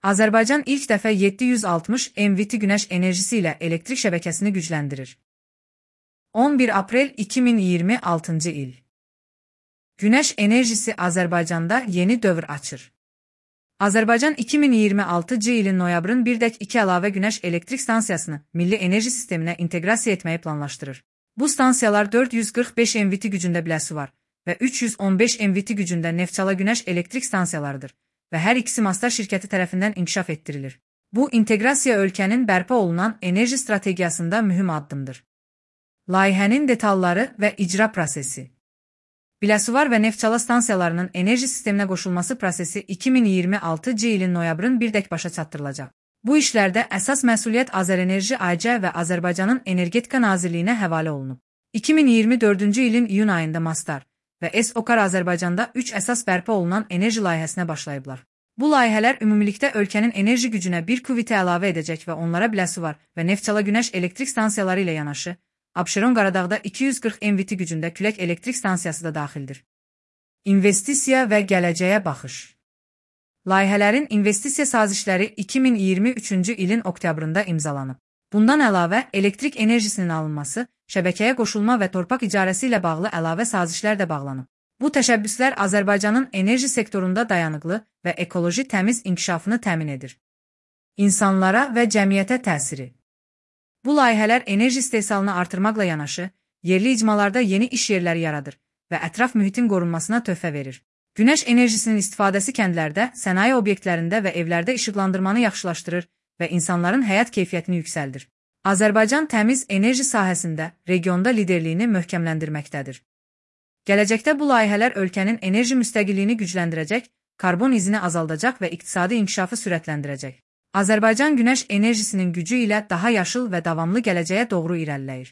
Azərbaycan ilk dəfə 760 MWT günəş enerjisi ilə elektrik şəbəkəsini gücləndirir. 11 aprel 2026-cı il. Günəş enerjisi Azərbaycanda yeni dövr açır. Azərbaycan 2026-cı ilin noyabrın 1-2 əlavə günəş elektrik stansiyasını milli enerji sisteminə inteqrasiya etməyi planlaşdırır. Bu stansiyalar 445 MWT gücündə biləsi var və 315 MWT gücündə Neftçala günəş elektrik stansiyalarıdır və hər ikisi Mastar şirkəti tərəfindən inkişaf etdirilir. Bu, inteqrasiya ölkənin bərpa olunan enerji strategiyasında mühüm addımdır. Layihənin detalları və icra prosesi. Biləsuvar və Neftçala stansiyalarının enerji sisteminə qoşulması prosesi 2026-cı ilin noyabrın 1-dək başa çatdırılacaq. Bu işlərdə əsas məsuliyyət Azərenerji AG və Azərbaycanın Energetika Nazirliyinə həvalə olunub. 2024-cü ilin iyun ayında Mastar və S-OKAR Azərbaycanda 3 əsas bərpa olunan enerji layihəsinə başlayıblar. Bu layihələr ümumilikdə ölkənin enerji gücünə bir qüvvəti əlavə edəcək və onlara Biləsuvar və Neftçala günəş elektrik stansiyaları ilə yanaşı, Abşeron Qaradağda 240 MWT gücündə külək elektrik stansiyası da daxildir. İnvestisiya və gələcəyə baxış. Layihələrin investisiya sazişləri 2023-cü ilin oktyabrında imzalanıb. Bundan əlavə, elektrik enerjisinin alınması, şəbəkəyə qoşulma və torpaq icarəsi ilə bağlı əlavə sazişlər də bağlanıb. Bu təşəbbüslər Azərbaycanın enerji sektorunda dayanıqlı və ekoloji təmiz inkişafını təmin edir. İnsanlara və cəmiyyətə təsiri. Bu layihələr enerji istehsalını artırmaqla yanaşı, yerli icmalarda yeni iş yerləri yaradır və ətraf mühitin qorunmasına töhfə verir. Günəş enerjisinin istifadəsi kəndlərdə, sənaye obyektlərində və evlərdə işıqlandırmanı yaxşılaşdırır və insanların həyat keyfiyyətini yüksəldir. Azərbaycan təmiz enerji sahəsində regionda liderliyini möhkəmləndirməkdədir. Gələcəkdə bu layihələr ölkənin enerji müstəqilliyini gücləndirəcək, karbon izini azaldacaq və iqtisadi inkişafı sürətləndirəcək. Azərbaycan günəş enerjisinin gücü ilə daha yaşıl və davamlı gələcəyə doğru irəliləyir.